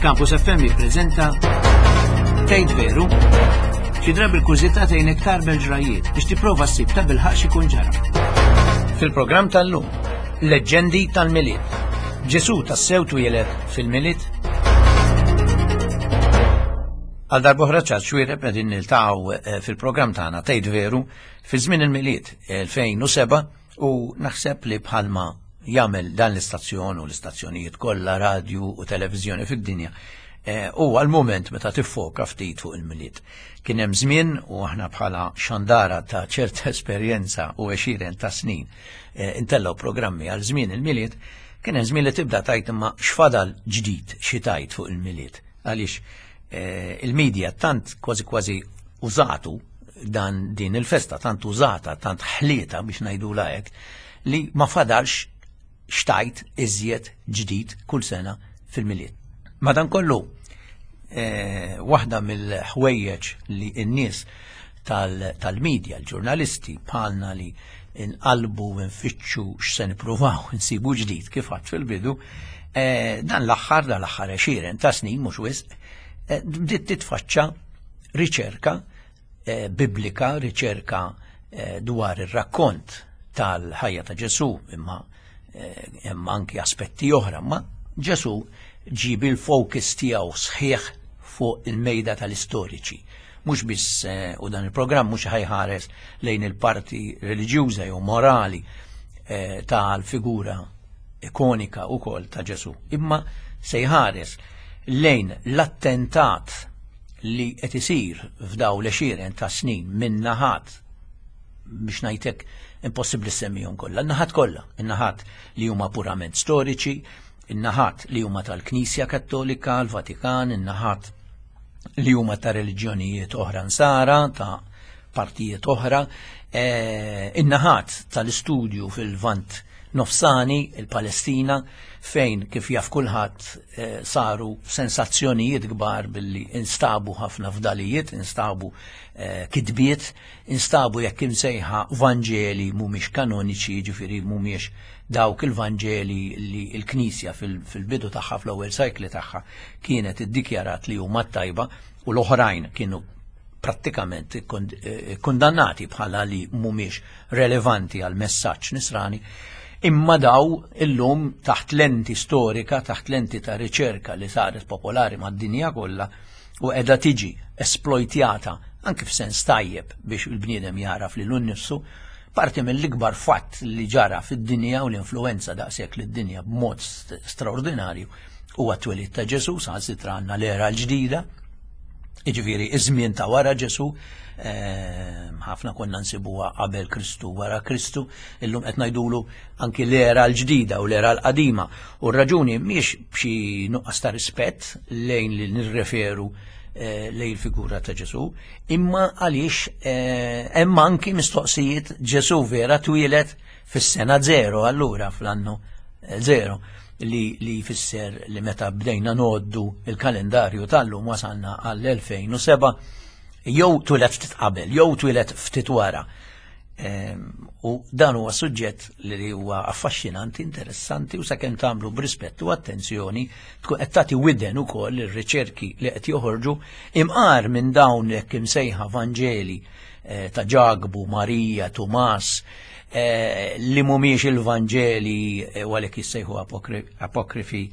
Campus FM jippreżenta Tgħid Veru? Xi drabi l-kurżità tgħinek tarbel ġrajiet biex tipprova ssib ta' bilħaq x'ikun ġara. Fil-programm tal-lum, Leġġendi tal-Milied. Ġesù tassew twieled fil-Milied? Għal darb'oħra ċar xwiereb qegħdin niltaqgħu eh, fil-programm tagħna Tgħid Veru fi żmien il-Milied 2007 U naħseb li bħalma jagħmel dan l-istazzjon u l-istazzjonijiet kollha radju u televiżjoni fid-dinja, eh, huwa l-mument meta tiffoka ftit fuq il-Milied. Kien hemm żmien u aħna bħala xandara ta' ċerta esperjenza u għexieren ta' snin eh, intellgħu programmi għal żmien il-Milied, kien hemm żmien li tibda tajt imma x'fadal ġdid xi tajt fuq il-Milied. Għaliex eh, il-medja tant kważi kważi użatu dan din il-festa tant użata, tant ħlieta biex ngħidula hekk, li ma fadalx xtajt iżjed ġdid kull sena fil-Milied. Madankollu, eh, waħda mill-ħwejjeġ li n-nies tal-medja, l-ġurnalisti bħalna li nqalbu u nfittxu x'se nippruvaw nsibu ġdid kif għadt fil-bidu, eh, dan l-aħħar, dan l-aħħar għexieren ta' snin mhux wisq, eh, bdiet titfaċċa riċerka eh, biblika, riċerka eh, dwar ir-rakkont tal-ħajja ta' Ġesù, imma eh, hemm anki aspetti oħra, ma Ġesù ġib il-focus tiegħu sħiħ fuq il-mejda tal-istoriċi. Mhux biss u dan il-programm mhux ħajħares lejn il-parti reliġjuża jew morali tal-figura ikonika wkoll ta' Ġesù, imma se jħares lejn l-attentat li qed isir f'daw l-għexieren ta' snin minn naħat biex ngħidlek impossibbli semmihom kollha, in-naħat kollha, in-naħat li huma purament storiċi, in-naħat li huma tal-Knisja Kattolika, l-Vatikan, in-naħat li huma ta' reliġjonijiet oħra nsara, ta' partijiet oħra, eh, in-naħat tal-istudju fil-Vant Nofsani, il-Palestina, fejn kif jaf kulħadd eh, saru sensazzjonijiet kbar billi instabu ħafna fdalijiet, instabu eh, kitbiet, instabu jekk imsejħa Vanġeli mhumiex kanoniċi, jiġifieri mhumiex dawk il-Vanġeli li l-Knisja fil-bidu tagħha fl-ewwel sajkli tagħha kienet iddikjarat li huma tajba u l-oħrajn kienu prattikament eh, kundannati bħala li mhumiex relevanti għal messaġġ nisrani, imma daw illum taħt lenti storika, taħt lenti ta' riċerka li saret popolari mad-dinja kollha u qiegħda tiġi esplojtjata anke f'sens tajjeb biex il-bniedem jaraf lilu nnifsu, parti mill-ikbar fatt li ġara fid-dinja u l-influenza daqshekk lid-dinja b'mod straordinarju huwa t-twelid ta' Ġesù, saħansitra għandna l-era l-ġdida, jiġifieri iż-żmien ta' wara Ġesù, ehm, ħafna konna nsibuha qabel Kristu wara Kristu, illum qed ngħidulu anki l-era l-ġdida u l-era l-qadima. U r-raġuni mhix b'xi nuqqas ta' rispett lejn li nirreferu eh, lejn il-figura ta' Ġesù, imma għaliex eh, hemm anki mistoqsijiet Ġesù vera twieled fis-sena zero allura fl-annu eh, zero li, li jfisser li meta bdejna noddu il-kalendarju tal-lum wasalna għall-2007 jew twilet ftit qabel, jew twilet ftit wara. Ehm, u dan huwa suġġett li huwa affaxxinanti, interessanti u sakemm tagħmlu b'rispett u attenzjoni tkun qed tagħti widen ukoll ir-riċerki li qed joħorġu imqar minn dawn hekk imsejħa Vanġeli eh, ta' Ġakbu, Marija, Tumas, eh, li mhumiex il-Vanġeli eh, u għalhekk jissejħu apokrifi,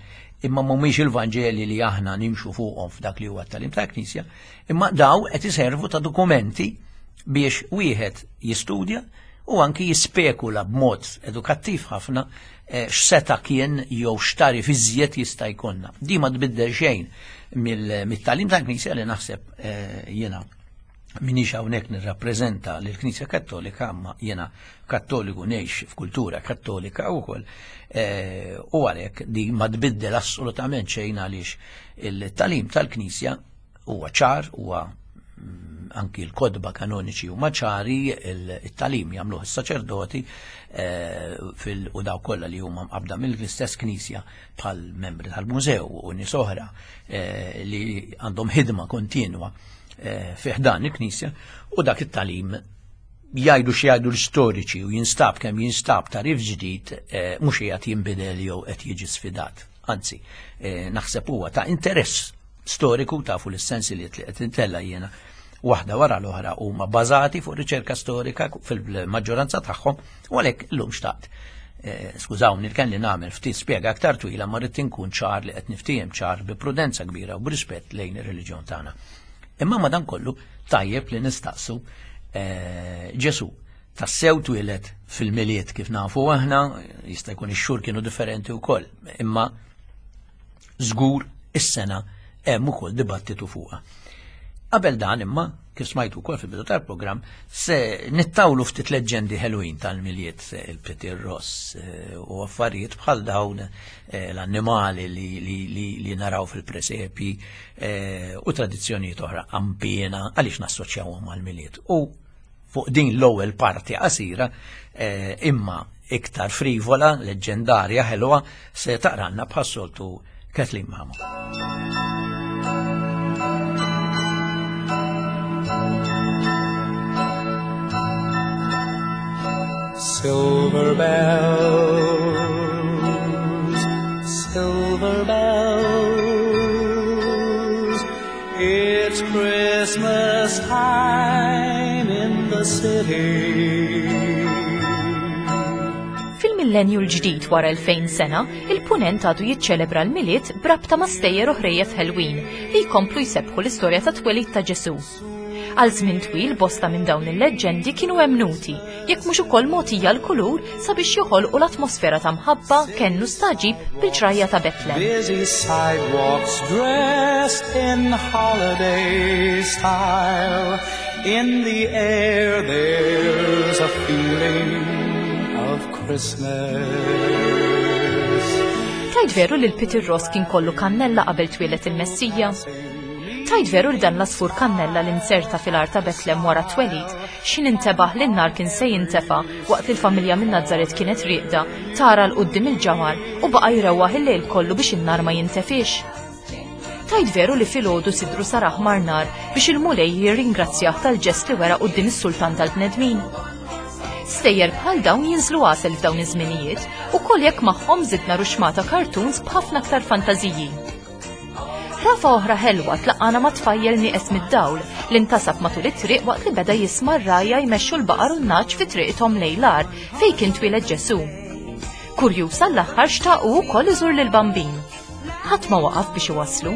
imma mhumiex il-Vanġeli li aħna nimxu fuqhom f'dak li huwa t-talim ta' Knisja, imma daw qed iservu ta' dokumenti biex wieħed jistudja u anki jispekula b'mod edukattiv ħafna x'seta kien jew x'tari fiżjed jista' jkollna. Di ma tbiddel xejn mill-talim tal-Knisja li naħseb jiena minix hawnhekk nirrappreżenta lill-Knisja Kattolika, imma jiena Kattoliku ngħix f'kultura Kattolika wkoll, eh, u għalhekk di ma tbiddel assolutament xejn għaliex il-talim tal-Knisja huwa ċar, huwa mm, anki l-kodba kanoniċi huma ċari, il-talim jagħmluh is-saċerdoti eh, fil u daw kollha li huma mqabda mill-istess Knisja bħal membri tal-mużew u nies oħra eh, li għandhom ħidma kontinwa eh, fih dan il-Knisja u dak it-talim jgħidu xi jgħidu l-istoriċi u jinstab kemm jinstab tarif ġdid eh, mhux qiegħed jinbidel jew qed jiġi sfidat. Anzi, eh, naħseb huwa ta' interess storiku tafu l-sensi li qed intella jiena waħda wara l-oħra huma bażati fuq riċerka storika fil-maġġoranza tagħhom u għalhekk illum xtaqt. Eh, skużawni li kelli nagħmel ftit spjega aktar twila ma rrid inkun ċar li qed niftiehem ċar bi prudenza kbira u b'rispett lejn ir-reliġjon tagħna. Imma madankollu tajjeb li nistaqsu eh, Ġesu tassew twieled fil-Milied kif nafu aħna, jista' jkun ix-xhur kienu differenti wkoll, imma żgur is-sena hemm ukoll dibattitu fuqha. Qabel dan imma, kif smajtu wkoll fil-bidu tal-programm, se nittawlu ftit leġġendi ħelwin tal-Milied, il-Petir Ross eh, u affarijiet bħal dawn eh, l-annimali li, li, li, li naraw fil-presepi eh, u tradizzjonijiet oħra qampiena għaliex nassoċjawhom mal-Milied. U fuq din l-ewwel parti qasira eh, imma iktar frivola, leġġendarja, ħelwa, se taqranna bħas-soltu Kathleen Mamo. Silver bells, silver bells, it's Christmas time in the city. Fil-millenju l-ġdid wara 2000 sena, il-Punent għadu jiċċelebra l-Milied b'rabta ma' stejjer u ħrejjef ħelwin li jkomplu jsebbħu l-istorja tat-twelid ta' Ġesù. Għal żmien twil bosta minn dawn il-leġġendi kienu emmnuti, jekk mhux ukoll mogħtija l-kulur sabiex joħolqu l-atmosfera ta' mħabba, kenn u stagħġib bil-ġrajja ta' Betlem. Busy sidewalks dressed in holiday style. In the air there's a feeling of Christmas. Tgħid veru li l-Peter Ross kien kollu kannella qabel twieled il-Messija? Tgħid veru li dan l-għasfur kannella li nzerta fil-għar ta' Betlem wara t-twelid, x'ħin intebaħ li n-nar kien se jintefa' waqt li l-familja minn Nazaret kienet rieqda, tara 'l quddiem il-ġamar u baqa' jrewwaħ il-lejl kollu biex in-nar ma jintefiex? Tgħid veru li filgħodu sidru sar aħmar nar biex il-Mulej jirringrazzjah tal-ġest li wera quddiem is-sultan tal-bnedmin? Stejjer bħal dawn jinżlu għasel f'dawn iż-żminijiet, ukoll jekk magħhom żidna ruxmata cartoons b'ħafna aktar fantażiji. Rafa oħra ħelwa tlaqqana ma' tfajjel nieqes mid-dawl li ntasab matul it-triq waqt li beda jisma' r-rgħajja jmexxu l-baqar u n-nagħaġ fi triqithom lejn l-għar fejn kien twieled Ġesù. Kurjuż għall-aħħar xtaq hu wkoll iżur lill-Bambin. Ħadd ma waqaf biex iwasslu.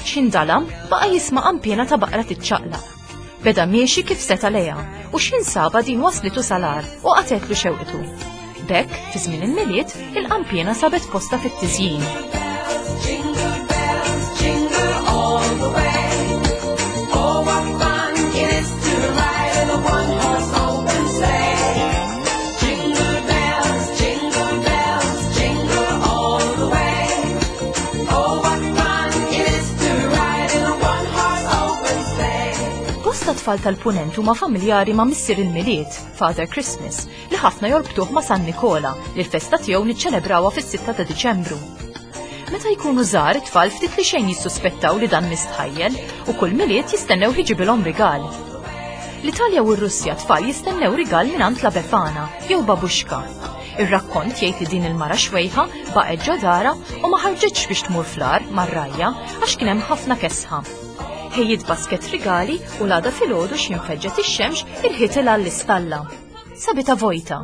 X'ħin dalam, baqa' jisma' qanpiena ta' baqra tiċċaqlaq. Beda miexi kif seta' lejha u x'ħin sabha din waslitu sal-għar u qatgħetlu xewqtu. B'hekk, fi żmien il-Milied, il-qanpiena sabet postha fit-tiżjin. Bosta tfal tal-Punent huma familjari ma' Missier il-Milied, Father Christmas, li ħafna jorbtuh ma' San Nikola, li l-festa tiegħu niċċelebrawha fis-6 ta' Diċembru. Meta jkunu żgħar it-tfal ftit li xejn jissuspettaw li dan mistħajjel u kull Milied jistennew iġibilhom rigal. L-Italja u r-Russja tfal jistennew rigal mingħand la Befana jew Babuxka. Ir-rakkont jgħid li din il-mara xwejħa baqgħet ġo darha u ma ħarġitx biex tmur fl-għar mar-rgħajja għax kien hemm ħafna kesħa. Ħejjiet basket rigali u l-għada filgħodu x'ħin feġġet ix-xemx irħitilha l-istalla. Sabitha vojta.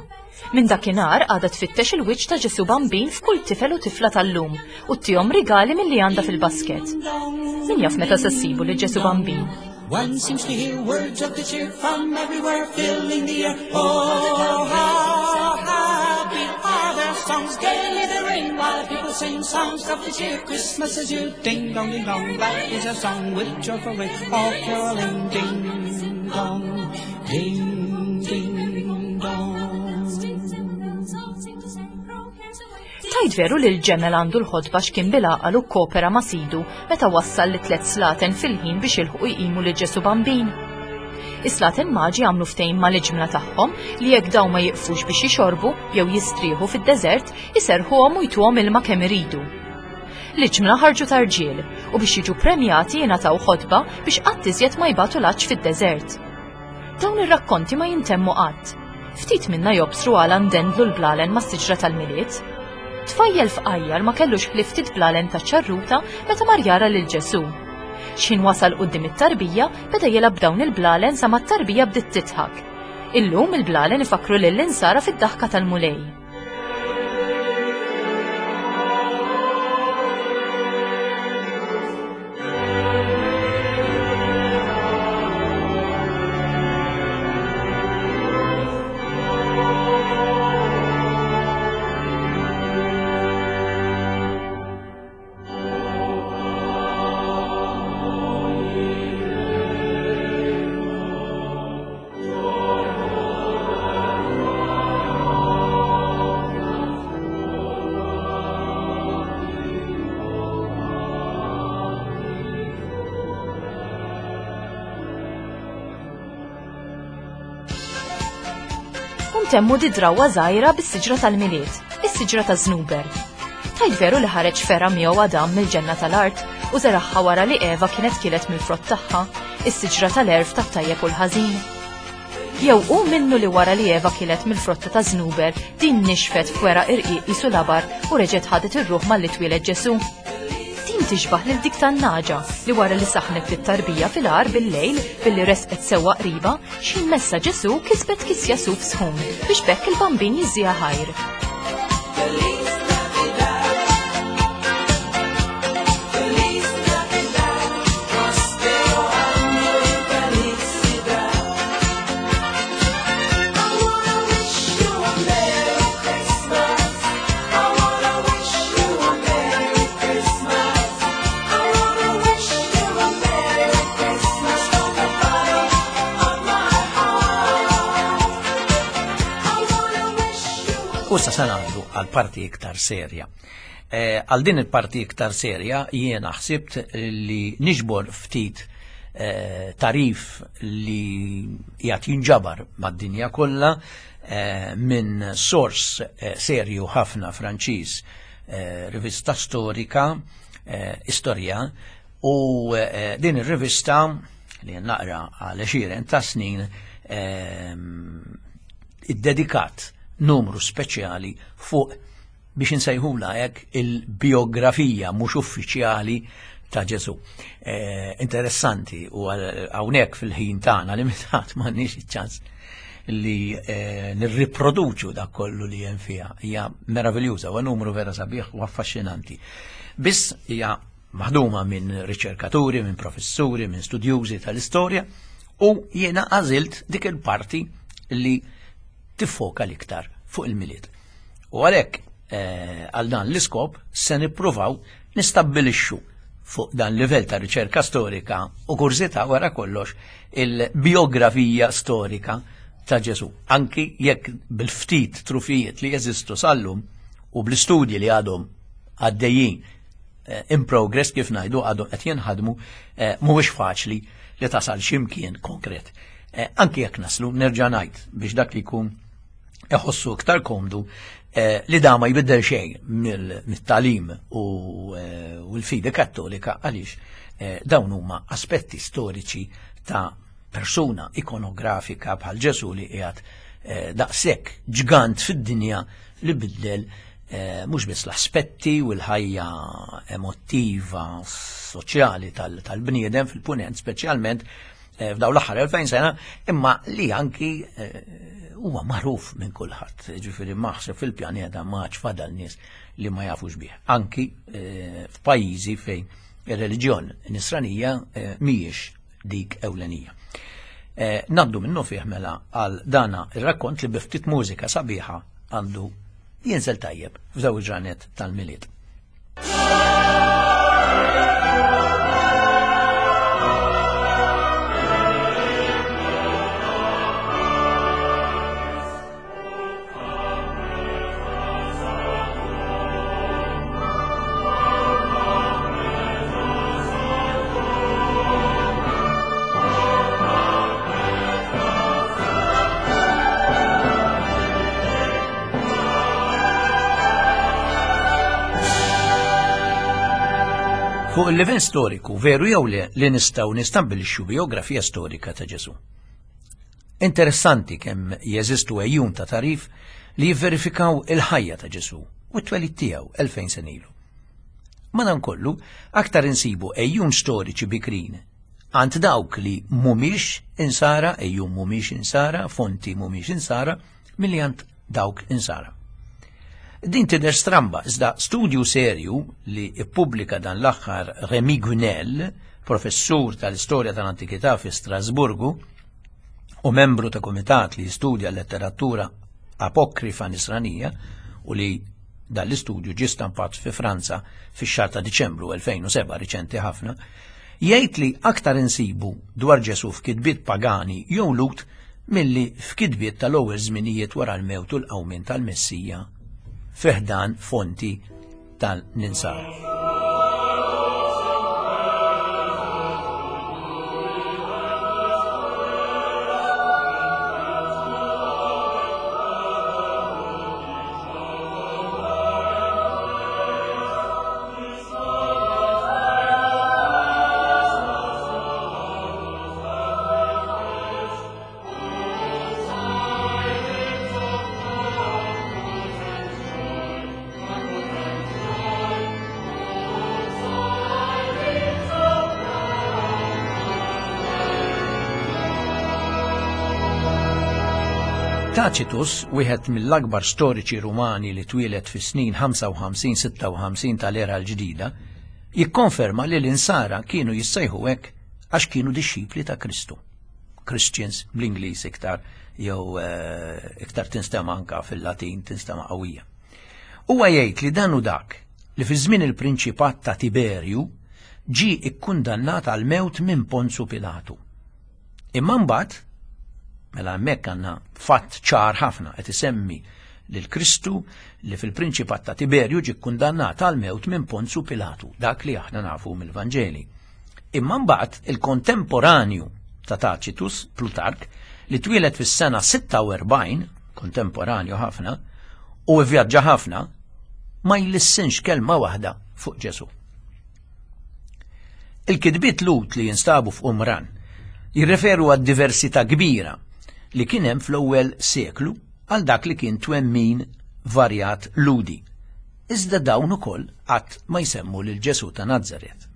Minn dakinhar għadha tfittex il-wiċċ ta' Ġesù Bambin f'kull tifel u tifla tal-lum u ttihom rigali milli għandha fil-basket. Min jaf meta se ssibu lil Ġesù Bambin? One seems to hear words of good cheer from everywhere filling the air. Oh, how happy are their songs, gaily they ring while people sing songs of good cheer. Christmas is here, ding dong, ding dong, that is a song with joyful ring, all caroling, ding dong, ding ding dong. Tgħid veru li l-ġemel għandu l-ħotba x'kien bil-għaqal u kkopera ma' sidu meta wassal lit-tliet slaten fil-ħin biex jilħqu jqimu lil Ġesù Bambin? Is-slaten maġi għamlu ftehim mal-iġmla tagħhom li jekk dawn ma jiqfux biex jixorbu jew jistrieħu fid-deżert, iserrħuhom u jtuhom ilma kemm iridu. L-iġmla ħarġu ta' rġiel u biex jiġu premjati jingħataw ħotba biex qatt iżjed ma jbatu l-għatx fid-deżert. Dawn ir-rakkonti ma jintemmu qatt. Ftit minna jobsru għala ndendlu l-blalen mas-siġra tal-Milied. Tfajjel fqajjar ma kellux ħlief ftit blalen ta' ċarruta meta mar jara lil Ġesù. X'ħin wasal quddiem it-tarbija, beda jilgħab b'dawn il-blalen sa ma t-tarbija bdiet tidħak. Illum il-blalen ifakkru lill-insara fid-daħka tal-Mulej. Ntemmu di drawwa żgħira bis-siġra tal-Milied, is-siġra ta' Żnuber. Tajt veru li ħareġ fergħa miegħu Adam mill-ġenna tal-art u żeragħha wara li Eva kienet kielet mill-frott tagħha, is-siġra tal-għerf tat-tajjeb u l-ħażin. Jew hu minnu li wara li Eva kielet mill-frotta ta' Żnuber din nixfet f'weraq irqiq qisu labar u reġgħet ħadet ir-ruħ malli twieled Ġesù? Din tixbah lil dik tan-nagħġa li wara li saħnet lit-tarbija fil-għar bil-lejl billi resqet sewwa qribha, x'ħin messha Ġesù kisbet kisja suf sħun biex b'hekk il-Bambin jiżżiha ħajr. U sa se ngħaddu għal parti iktar serja. Eh, għal din il-parti iktar serja jiena ħsibt li niġbor ftit eh, tarif li jgħat jinġabar mad-dinja kollha eh, minn sors serju ħafna Franċiż Eh, rivista storika, eh, istorja, u eh, din ir-rivista li naqra għal xiren ta' snin iddedikat numru speċjali fuq biex insejħula hekk il-biografija mhux uffiċjali ta' Ġesu. interessanti u hawnhekk fil-ħin tagħna limitat m'għandniex iċ-ċans li eh, nirriproduċu dak kollu li hemm fiha. Hija meraviljuża, huwa numru vera sabiħ u affaxxinanti. Biss hija maħduma minn riċerkaturi, minn professuri, minn studjużi tal-istorja u jiena għażilt dik il-parti li tiffoka l-iktar fuq il-milied. U għalhekk eh, għal dan l-iskop se nippruvaw nistabbilixxu fuq dan livell ta' riċerka storika u kurżità wara kollox il-biografija storika ta' Ġesu. Anki jekk bil-ftit trufijiet li jeżistu sallum u bl-istudji li għadhom għaddejjin eh, in progress kif ngħidu għadhom qed jinħadmu eh, mhuwiex faċli li tasal x'imkien konkret. Eh, anki jekk naslu nerġa' ngħid biex dak li jkun iħossu iktar komdu eh, li da ma jbiddel xejn mit-talim u eh, l-fidi kattolika għaliex eh, dawn huma aspetti storiċi ta' persuna ikonografika bħal Ġesu li qiegħed daqshekk ġgant fid-dinja li biddel mhux biss l-aspetti u l-ħajja emotiva soċjali tal-bniedem fil-punent speċjalment Eh, f'daw l-aħħar 2000 sena, imma li anki eh, huwa magħruf minn kulħadd, ġifieri maħseb fil-pjaneta ma fadal nies li ma jafux bih. Anki eh, f'pajjiżi fejn ir-reliġjon nisranija mhijiex dik ewlenija. Naddu minnu fih mela għal dana ir-rakkont li biftit mużika sabiħa għandu jinżel tajjeb f'daw il-ġranet tal-Milied. Fuq il-livell storiku, veru jew le li nistgħu nistabbilixxu biografija storika ta' Ġesù. Interessanti kemm jeżistu ejjun ta' tarif li jivverifikaw il-ħajja ta' Ġesù. u t-twelid tiegħu 2000 sena ilu. Madankollu, aktar insibu ejjun storiċi bikrin għand dawk li mhumiex insara, ejjun mhumiex insara, fonti mhumiex insara, milli għand dawk insara. Din tidher stramba, iżda studju serju li ippubblika dan l-aħħar Remy Gunel, professur tal-istorja tal-antikità fi Strasburgu u membru ta' kumitat li jistudja l-letteratura apokrifa nisranija u li dan l-istudju ġie stampat fi Franza fix-xahar ta' Diċembru 2007 riċenti ħafna, jgħid li aktar insibu dwar Ġesù f'kitbiet pagani jew Lhud milli f'kitbiet tal-ewwel żminijiet wara l-mewt u l-qawmien tal-Messija fi ħdan fonti tal-Ninsara. Tacitus, wieħed mill-akbar storiċi Rumani li twieled fis-snin 55-56 tal-era l-ġdida, jikkonferma li l-insara kienu jissejħu hekk għax kienu dixxipli ta' Kristu. Christians bl-Ingliż iktar jew eh, iktar tinstema anka fil-Latin tinstema qawwija. Huwa jgħid li dan u dak li fi żmien il-prinċipat ta' Tiberju ġie ikkundannat għal mewt minn Ponzu Pilatu. Imma mbagħad mela hemmhekk għandna fatt ċar ħafna qed isemmi lil Kristu li fil-prinċipat ta' Tiberju ġie kkundannat għal mewt minn Ponzu Pilatu, dak li aħna nafu mill-Vanġeli. Imma mbagħad il-kontemporanju ta' Tacitus, Plutark, li twieled fis-sena 46, kontemporanju ħafna, u vvjaġġa ħafna, ma jlissinx kelma waħda fuq Ġesù. Il-kitbiet Lhud li jinstabu f'Qumran jirreferu għad-diversità kbira li kien hemm fl-ewwel seklu għal dak li kien twemmin varjat Lhudi. Iżda dawn ukoll qatt ma jsemmu lil Ġesù ta' Nazaret.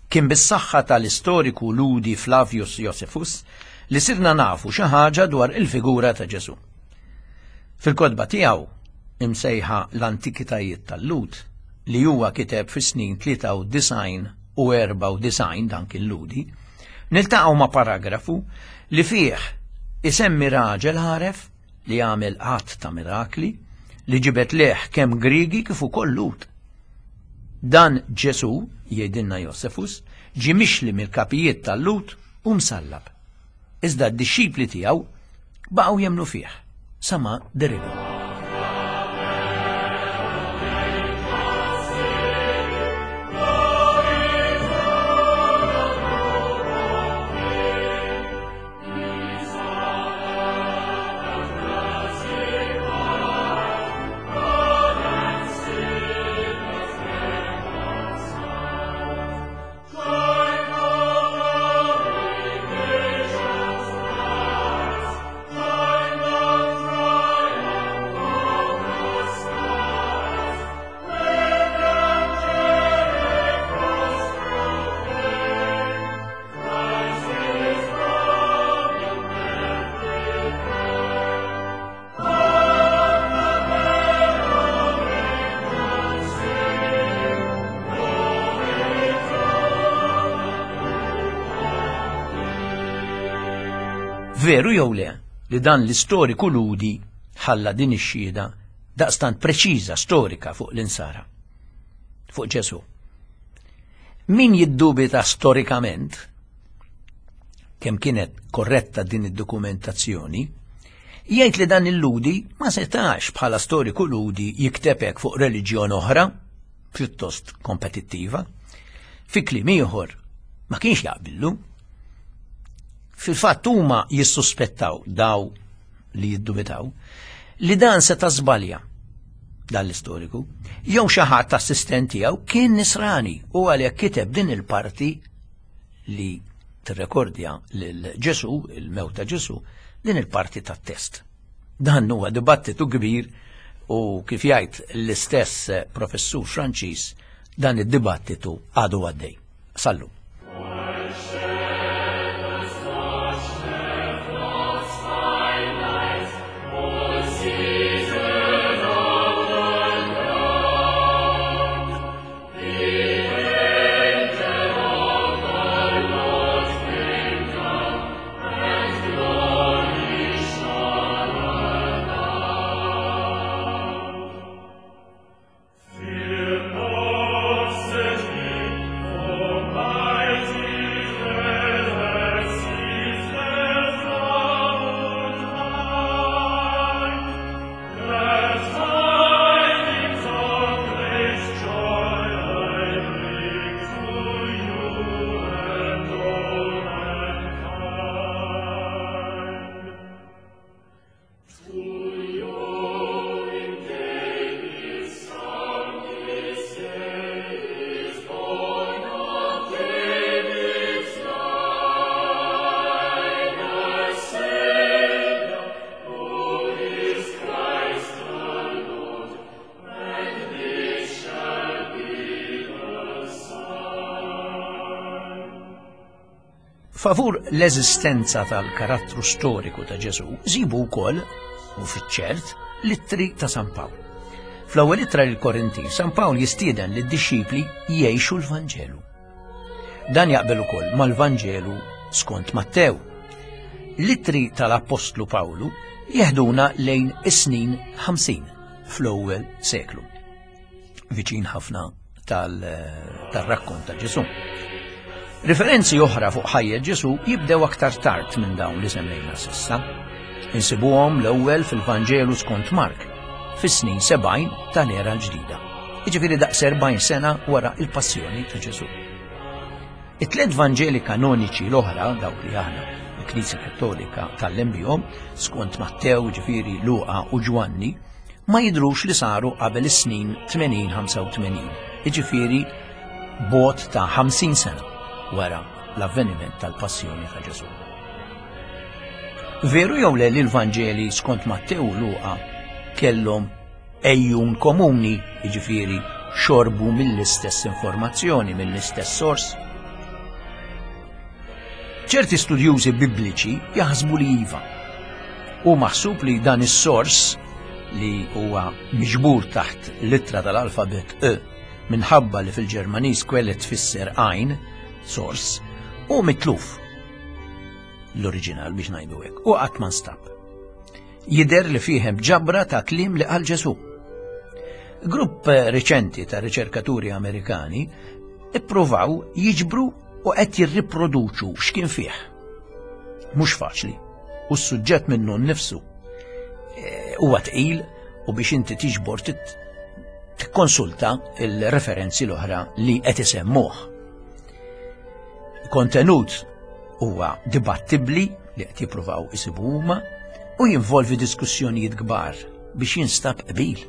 Kien bis-saħħa tal-istoriku Lhudi Flavius Josephus li sirna nafu xi ħaġa dwar il-figura ta' Ġesù. Fil-kotba tiegħu, imsejħa l-Antikitajiet tal-Lhud, li huwa kiteb fis-snin 93 u 94 dan kien Lhudi, niltaqgħu ma' paragrafu li fih isemmi raġel għaref li għamel għadd ta' mirakli li ġibed lejh kemm Griegi kif ukoll Lhud. Dan Ġesù, jgħidilna Josefus, ġie mixli mill-kapijiet tal-Lhud u msallab. Iżda d-dixxipli tiegħu baqgħu jemmnu fih sa ma derilhom. Veru jew le li dan l-istoriku Lhudi ħalla din ix-xhieda daqstant preċiża storika fuq l-insara, fuq Ġesù. Min jiddubita storikament kemm kienet korretta din id-dokumentazzjoni, jgħid li dan il-Lhudi ma setax bħala storiku Lhudi jikteb hekk fuq reliġjon oħra, pjuttost kompetittiva. Fi kliem ieħor, ma kienx jaqbillu. Fil-fatt huma jissuspettaw daw li jiddubitaw li dan seta' żbalja dan l-istoriku, jew xi ħadd assistent tiegħu kien nisrani u għalhekk kiteb din il-parti li tirrekordja lil Ġesù, il-mewt ta' Ġesù, din il-parti tat-test. Dan huwa dibattitu kbir U kif jgħid l-istess professur Franċiż dan id-dibattitu għadu għaddej. Sallu. Favur l-eżistenza tal-karattru storiku ta' Ġesù żibu wkoll, u fiċ-ċert, l-ittri ta' San Pawl. Fl-ewwel ittra lil Korinti, San Pawl jistieden lid-dixxipli jgħixu l-Vanġelu. Dan jaqbel ukoll mal-Vanġelu skont Mattew. L-ittri tal-Appostlu Pawlu jeħduna lejn is-snin 50 fl-ewwel seklu. Viċin ħafna tal-rakkont ta' Ġesù. Riferenzi oħra fuq ħajja Ġesù jibdew aktar tard minn dawn li semmejna sissa. Insibuhom l-ewwel fil-Vanġelu skont Mark, fis-snin 70 tal-era l-ġdida. Jiġifieri daqs 40 sena wara il-passjoni ta' Ġesù. It-tliet Vanġeli kanoniċi l-oħra, dawk li aħna l-Knisja Kattolika tgħallem bihom, skont Mattew, ġifieri Luqa u Ġwanni, ma jidhrux li saru qabel is-snin 80-85, jiġifieri bogħod ta' 50 sena wara l-avveniment tal-passjoni ta' Ġesù. Veru jew le li l-Vanġeli skont Mattew u Luqa kellhom ejjun komuni, jiġifieri xorbu mill-istess informazzjoni, mill-istess sors? Ċerti studjużi Bibliċi jaħsbu li iva. Hu maħsub li dan is-sors li huwa miġbur taħt l-ittra tal-alfabet E minħabba li fil-Ġermaniż Quelle tfisser għajn, sors, hu mitluf l-oriġinal biex ngħidu hekk u qatt ma nstab. Jidher li fih hemm ġabra ta' kliem li qal Ġesù. Grupp riċenti ta' riċerkaturi Amerikani ippruvaw jiġbru u qed jirriproduċu x'kien fih. Mhux faċli, u s-suġġett minnu nnifsu eh, huwa tqil u biex inti tiġbor tikkonsulta il-referenzi l-oħra li qed isemmuh. Kontenut huwa dibattibbli li qed jippruvaw isibu huma u jinvolvi diskussjonijiet kbar biex jinstab qbil.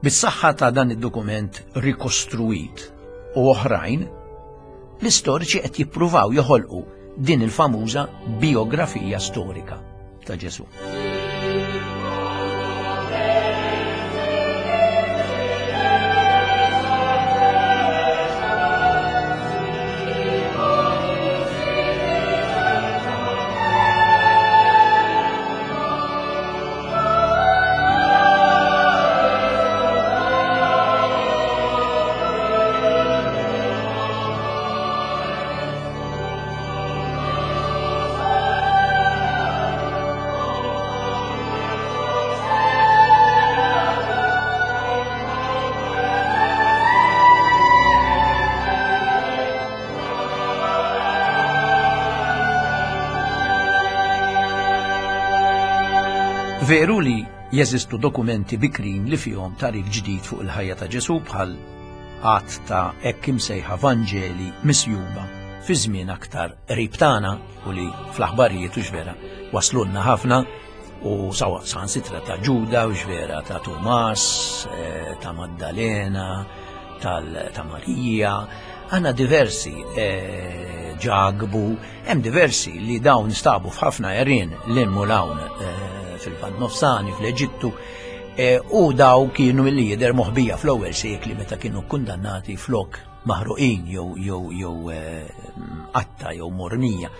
Bis-saħħa ta' dan id-dokument rikostruit u oħrajn, l-istoriċi qed jippruvaw joħolqu din il-famuża bijografija storika ta' Ġesù. Veru li jeżistu dokumenti bikrin li fihom tagħrif ġdid fuq il-ħajja ta' Ġesù bħal għadd ta' hekk imsejħa Vanġeli misjuba fi żmien aktar qrib tagħna u li fl-aħbarijiet u vera waslulna ħafna u sawa saħansitra ta' Ġuda u vera ta' Tumas, eh, ta' Maddalena, ta' Marija, għanna diversi eh, ġagbu, hemm diversi li dawn stabu f'ħafna għerien l-in lawn eh, fil-Vant Nofsani, fl-Eġittu. E, u daw kienu milli jidher moħbija fl-ewwel sekli meta kienu kundannati flok maħruqin jew jew jew e, qatta jew mormija.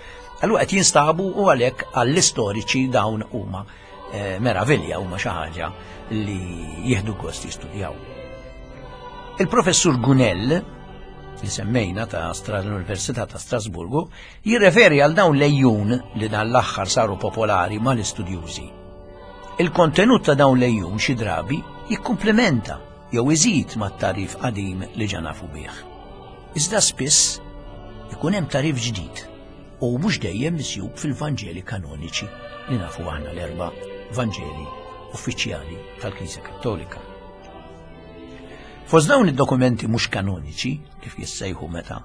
Allura qed jinstabu u għalhekk għall-istoriċi dawn huma e, meravilja huma xi ħaġa li jieħdu gost jistudjaw. Il-professur Gunell, li semmejna ta' l-Università ta' Strasburgu, jirreferi għal dawn lejjun li dan l-aħħar saru popolari mal-istudjużi. Il-kontenut ta' dawn l-għejun xi drabi jikkumplementa jew iżid mat-tagħrif qadim li ġa nafu bih. Iżda spiss ikun hemm tagħrif ġdid u mhux dejjem misjub fil-Vanġeli kanoniċi li nafu aħna l-erba' Vanġeli uffiċjali tal-Knisja Kattolika. Fost dawn id-dokumenti mhux kanoniċi, kif jissejħu meta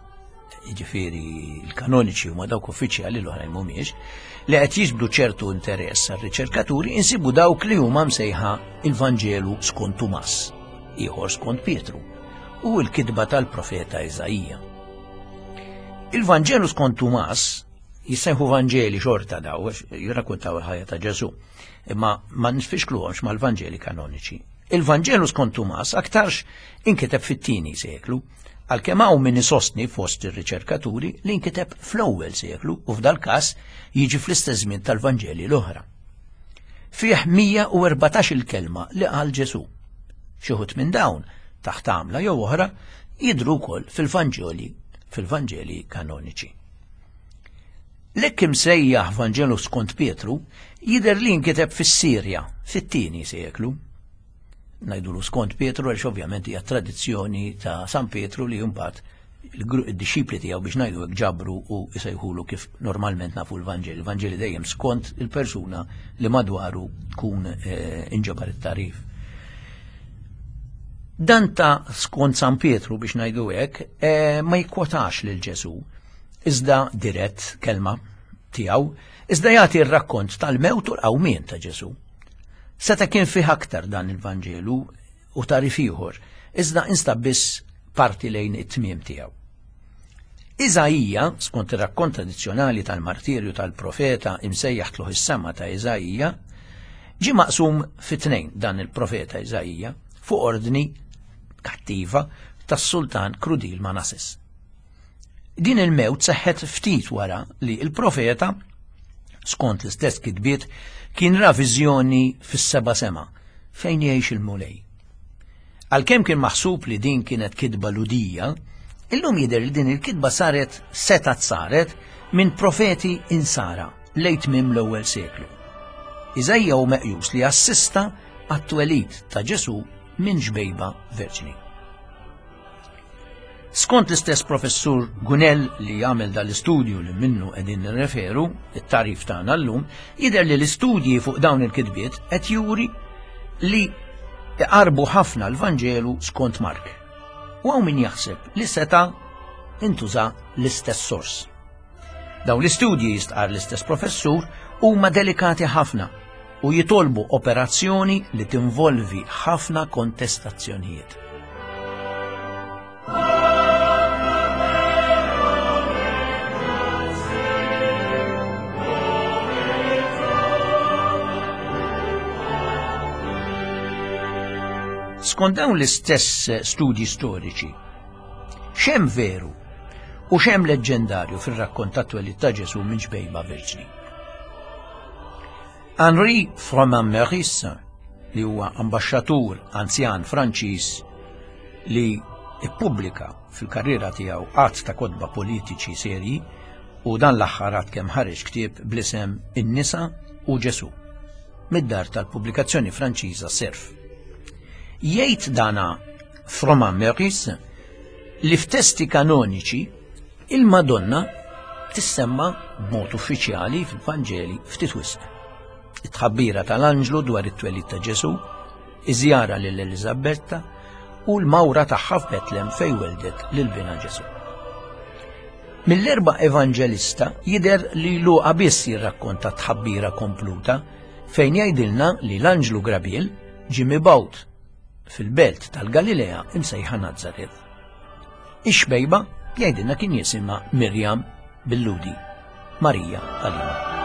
jiġifieri l-kanoniċi huma dawk uffiċjali l-oħrajn mhumiex, li qed jiġbdu ċertu interess għar-riċerkaturi insibu dawk li huma msejħa il-Vanġelu skont Tumas, ieħor skont Pietru, u l-kitba tal-profeta Iżaija. Il-Vanġelu skont Tumas jissejħu Vanġeli xorta daw, jirrakkuntaw il-ħajja ta' Ġesu, imma ma nfixkluhomx mal-Vanġeli kanoniċi. Il-Vanġelu skont Tumas aktarx inkiteb fit-tieni seklu, għalkemm hawn min isostni fost ir-riċerkaturi li nkiteb fl-ewwel seklu u f'dal-każ jiġi fl-istess żmien tal-Vanġeli l-oħra. Fih 114 il-kelma li qal Ġesù. Xi wħud minn dawn, taħt għamla jew oħra, jidhru wkoll fil-Vanġeli fil-Vanġeli kanoniċi. L-hekk imsejjaħ Vanġelu skont Pietru jidher li nkiteb fis-Sirja fit-tieni seklu. Ngħidulu skont Pietru għaliex ovvjament hija tradizzjoni ta' San Pietru li mbagħad id-dixxipli tiegħu biex ngħidu hekk ġabru u jsejħulu kif normalment nafu l-Vanġeli. Il-Vanġeli dejjem skont il-persuna li madwaru tkun eh, inġabar it-tarif. Dan ta' skont San Pietru biex ngħidu hekk eh, ma jikkwotax lil Ġesu, iżda dirett kelma tiegħu, iżda jagħti r-rakkont tal-mewt u l-qawmien ta' Ġesu. Seta' kien fih aktar dan il-Vanġelu u tagħrif ieħor, iżda instab biss parti lejn it-tmiem tiegħu. Iżaija, skont ir-rakkont tradizzjonali tal-martirju tal-profeta imsejjaħ tlugħ is-sema ta' Iżaija, ġie maqsum fi tnejn dan il-profeta Iżaija fuq ordni kattiva tas-sultan krudil Manasses. Din il-mewt seħħet ftit wara li l-profeta, skont l-istess kitbiet, kien ra viżjoni fis-seba' sema fejn jgħix il-Mulej. Għalkemm kien maħsub li din kienet kitba Lhudija, illum jidher li din il-kitba saret setgħet saret minn profeti insara lejn tmiem l-ewwel seklu. Iżaija hu meqjus li assista għat-twelid ta' Ġesù minn ġbejba verġni. Skont l-istess professur Gunell li għamel dal-istudju li minnu qegħdin nirreferu, it-tagħrif tagħna llum, jidher li l-istudji fuq dawn il-kitbiet qed juri li iqarbu ħafna l-Vanġelu skont Mark. U hawn min jaħseb li seta' intuża l-istess sors. Dawn l-istudji jistqar l-istess professur huma delikati ħafna u jitolbu operazzjoni li tinvolvi ħafna kontestazzjonijiet. Skont dawn l-istess studji storiċi, x'hemm veru u x'hemm leġġendarju fir-rakkont tat-twelid ta' Ġesù minn ġbejba Verġni? Henri Froment-Meurice, li huwa ambaxxatur anzjan Franċiż li ippubblika fil-karriera tiegħu għadd ta' kotba politiċi serji u dan l-aħħar għad kemm ħareġ ktieb bl-isem In-nisa u Ġesù mid-dar tal-pubblikazzjoni Franċiża Serf. Jgħid dana Froment-Meurice li f'testi kanoniċi Il-Madonna tissemma b'mod uffiċjali fil-Vanġeli ftit wisq. It-tħabbira tal-anġlu dwar it-twelid ta' Ġesù, iż-żjara lil Eliżabetta u l-mawra tagħha f'Betlem fejn weldet lil binha Ġesù. Mill-erba' evanġelista jidher li Luqa biss jirrakkonta tħabbira kompluta fejn jgħidilna li l-anġlu Grabiel ġie mibgħut fil-belt tal-Galilea imsejħa Nazzaret. Ix-xbejba jgħidilna kien jisimha Mirjam bil-Ludi, Marija Qalina.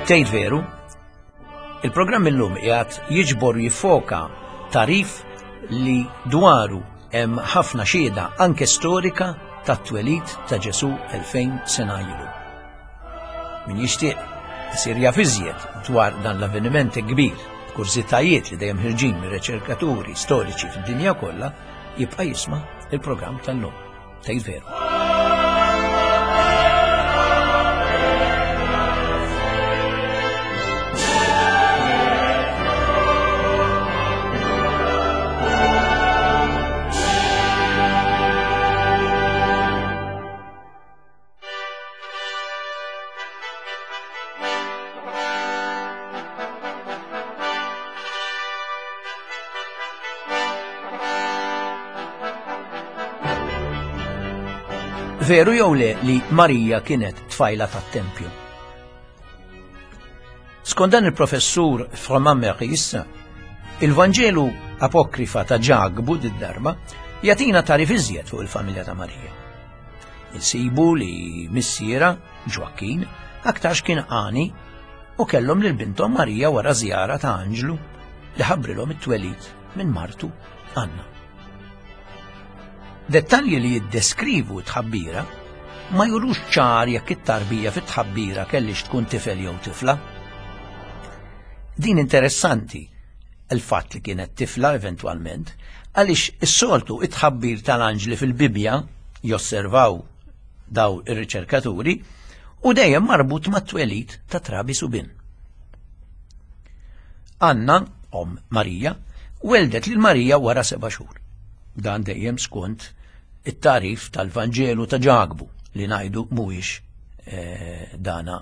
Tgħid veru? Il-programm illum qiegħed jiġbor jiffoka tarif li dwaru hemm ħafna xhieda anke storika tat-twelid ta' Ġesù 2000 sena ilu. Min jixtieq isir jaf iżjed dwar dan l-avveniment kbir, kurżitajiet li dejjem ħirġin mir-riċerkaturi storiċi fid-dinja kollha, jibqa' jisma' il-programm tal-lum. Tgħid veru. Veru jew le li Marija kienet tfajla tat-tempju? Skont dan il-professur Froment Meurice, il-Vanġelu apokrifa ta' Ġakbu did-darba jagħtina tarif iżjed fuq il-familja ta' Marija. Insibu li missiera, Ġwakkin, aktarx kien għani u kellhom lil binthom Marija wara żjara ta' anġlu li ħabbrilhom it-twelid minn martu Anna. Dettalji li jiddeskrivu t-tħabbira ma jurux ċar jekk it-tarbija fit-tħabbira kellix tkun tifel jew tifla. Din interessanti il-fatt li kienet tifla eventwalment, għaliex is-soltu it-tħabbir tal-anġli fil-Bibbja josservaw daw ir-riċerkaturi u dejjem marbut mat-twelid ta' trabi subien. Anna, om Marija, weldet lil Marija wara seba' xhur. Dan dejjem skont it-tarif tal-Vanġelu ta' Ġakbu li ngħidu mhuwiex eh, dana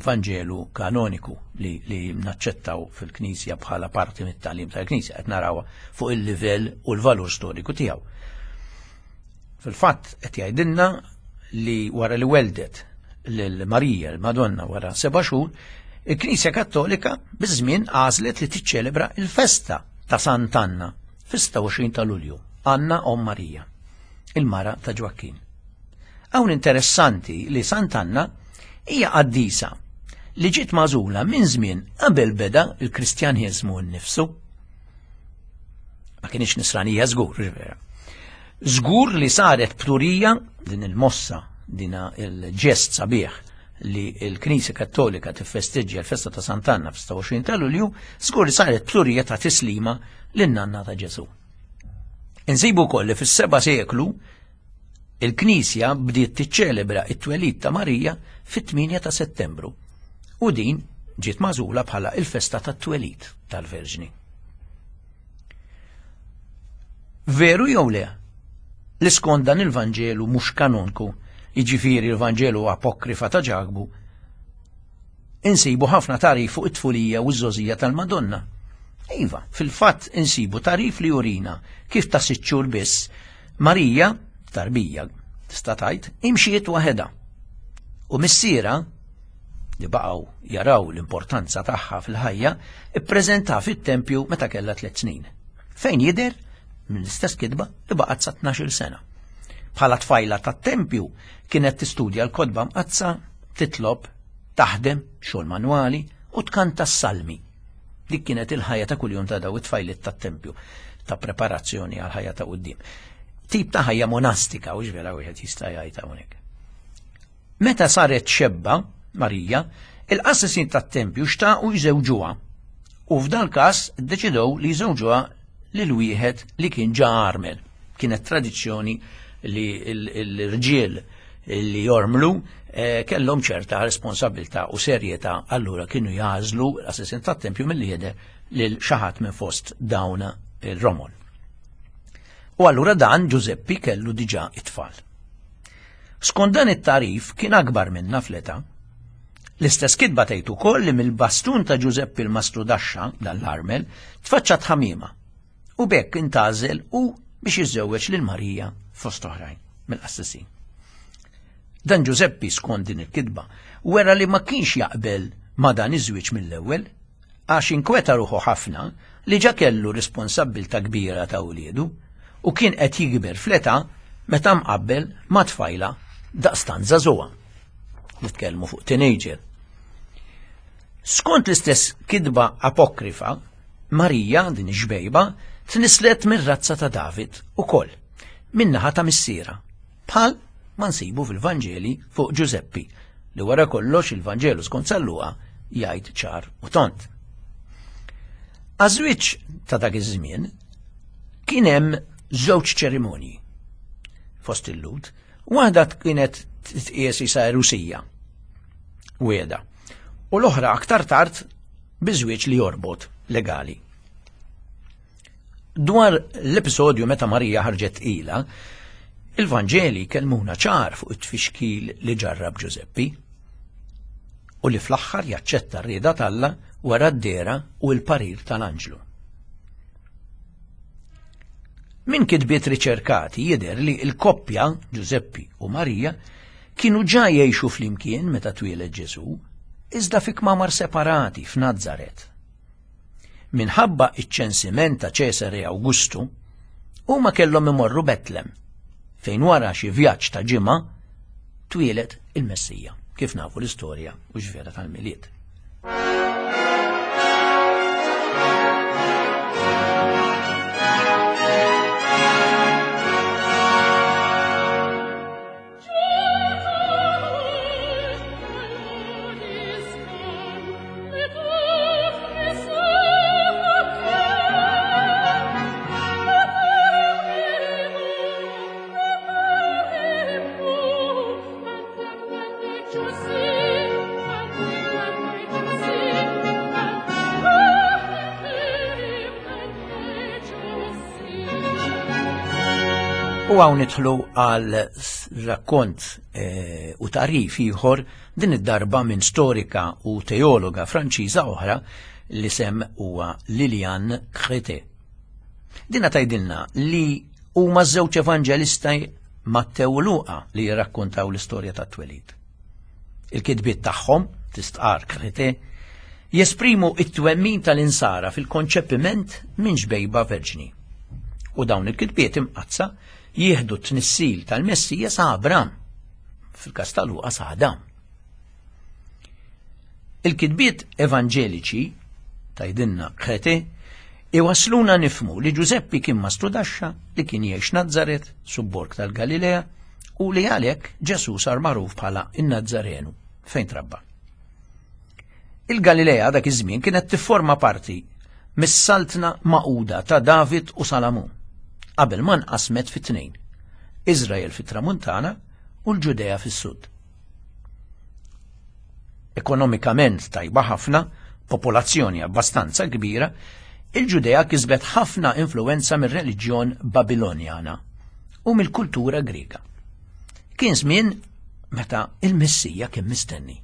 Vanġelu kanoniku li, li naċċettaw fil-Knisja bħala parti mit-tagħlim tal-Knisja qed narawha fuq il-livell u l-valur storiku tiegħu. Fil-fatt qed jgħidilna li wara li weldet lil Marija, l-Madonna wara seba' xhur, il-Knisja Kattolika biż-żmien għażlet li tiċċelebra il-festa ta' Sant'Anna fis-26 ta' Lulju, Anna Om Marija, il-mara ta' Ġwakkin. Hawn interessanti li Sant'Anna hija qaddisa li ġiet magħżula minn żmien qabel beda l-Kristjaniżmu nnifsu. Ma kienx nisranija żgur, vera. Żgur li saret pturija din il-mossa, dina il-ġest sabiħ li l-Knisja Kattolika tiffesteġġja l-festa ta' Sant'Anna f'26 ta' Lulju, żgur li saret pturija ta' tislima lin-nanna ta' Ġesù. Insibu wkoll li fis-seba' seklu il-Knisja bdiet tiċċelebra it-twelid ta' Marija fit-8 ta' Settembru u din ġiet magħżula bħala il-festa tat-twelid tal-Verġni. Veru jew le? Li skont dan il-Vanġelu mhux kanonku, jiġifieri l-Vanġelu apokrifa ta' Ġakbu, insibu ħafna tagħrif fuq it-tfulija u ż-żgħożija tal-Madonna. Iva, fil-fatt insibu tagħrif li jurina kif ta' sitt xhur biss Marija, tarbija, tista' tgħid, imxiet waħedha. U missiera, li baqgħu jaraw l-importanza tagħha fil-ħajja, ippreżenta fit-tempju meta kellha tliet snin. Fejn jidher mill-istess kitba li baqgħet sa 12-il sena. Bħala tfajla tat-tempju kienet tistudja l-kotba mqaddsa, titlob, taħdem, xogħol manwali u tkanta s-salmi. Dik kienet il-ħajja ta' kuljum ta' daw it-tfajliet tat-tempju ta' preparazzjoni għal ħajja ta' quddiem. Tip ta' ħajja monastika, u vera wieħed jista' jgħid hawnhekk. Meta saret xebba, Marija, il-qassisin tat-tempju xtaqu jżewġuha u f'dal każ ddeċidew li jżewġuha lil wieħed li kien ġa armel. Kienet tradizzjoni li l-irġiel li jormlu eh, kellhom ċerta responsabilità u serjetà allura kienu jażlu l-assistent tat-tempju milli jidher lil xi ħadd minn fost dawn il-romol. U allura dan Ġużeppi kellu diġà it-tfal. Skont dan it-tarif kien akbar minna fl-età. L-istess kitba tgħid ukoll li mill-bastun ta' Ġużeppi l-Mastru Daxxa, dan l-armel, tfaċċat ħamiema u b'hekk intgħażel hu biex jiżżewweġ lil Marija fost oħrajn mill-qassisin. Dan Ġużeppi skont din il-kitba wera li ma kienx jaqbel ma' dan iż-żwieġ mill-ewwel għax inkweta ruħu ħafna li ġa kellu responsabbiltà kbira ta' uliedu u kien qed jikber fl-età meta mqabbel ma' tfajla daqstant żagħżugħa. Nitkellmu fuq teenager. Skont l-istess kitba apokrifa, Marija, din ix-xbejba, tnisslet mir-razza ta' David ukoll, min-naħa ta' missierha, bħal ma nsibu fil-Vanġeli fuq Ġużeppi, li wara kollox il-Vanġelu skont San Luqa jgħid ċar u tond. Għaż-żwieġ ta' dak iż-żmien kien hemm żewġ ċerimonji fost il-Lhud, waħda kienet titqies isa Rusija, wieda, u l-oħra aktar tard bi żwieġ li jorbot legali. Dwar l-episodju meta Marija ħarġet tqila, il-Vanġeli kellmuna ċar fuq it-tfixkil li ġarrab Ġużeppi u li fl-aħħar jaċċetta r-rieda t'Alla wara d-dehra u l-parir tal-anġlu. Minn kitbiet riċerkati jidher li l-koppja, Ġużeppi u Marija, kienu ġa jgħixu flimkien meta twieled Ġesù, iżda fi kmamar separati f'Nazaret. Minħabba iċ-ċensiment ta' Ċesare Awgustu, huma kellhom imorru Betlem, fejn wara xi vjaġġ ta' ġimgħa twieled il-Messija, kif nafu l-istorja u x'vera tal-Milied. U hawn nidħlu għal rakkont eh, u tarif ieħor din id-darba minn storika u teologa Franċiża oħra li sem huwa Lilian Crete. Dina tgħidilna li huma żewġ evanġelisti Mattew u Luqa li jirrakkontaw l-istorja tat-twelid. Il-kitbiet tagħhom, tistqarr Crete, jesprimu it-twemmin tal-insara fil-konċepiment minn xbejba verġni. U dawn il-kitbiet imqaddsa jieħdu t-tnissil tal-Messija sa Abram, fil-każ ta' Luqa sa Adam. Il-kitbiet evanġeliċi, tgħidilna Crete, iwassluna nifhmu li Ġużeppi kien mastrudaxxa li kien jgħix Nazzaret, subborg tal-Galilea, u li għalhekk Ġesù sar magħruf bħala n-Nazzarenu fejn trabba. Il-Galilea dak iż-żmien kienet tifforma parti mis-saltna magħquda ta' David u Salamun, qabel ma nqasmet fi tnejn, Iżrael fit-Tramuntana u l-Ġudea fis-Sud. Ekonomikament tajba ħafna, popolazzjoni abbastanza kbira, il-Ġudea kisbet ħafna influwenza mir-reliġjon Babilonjana u mill-kultura Griega. Kien żmien meta il-Messija kien mistenni.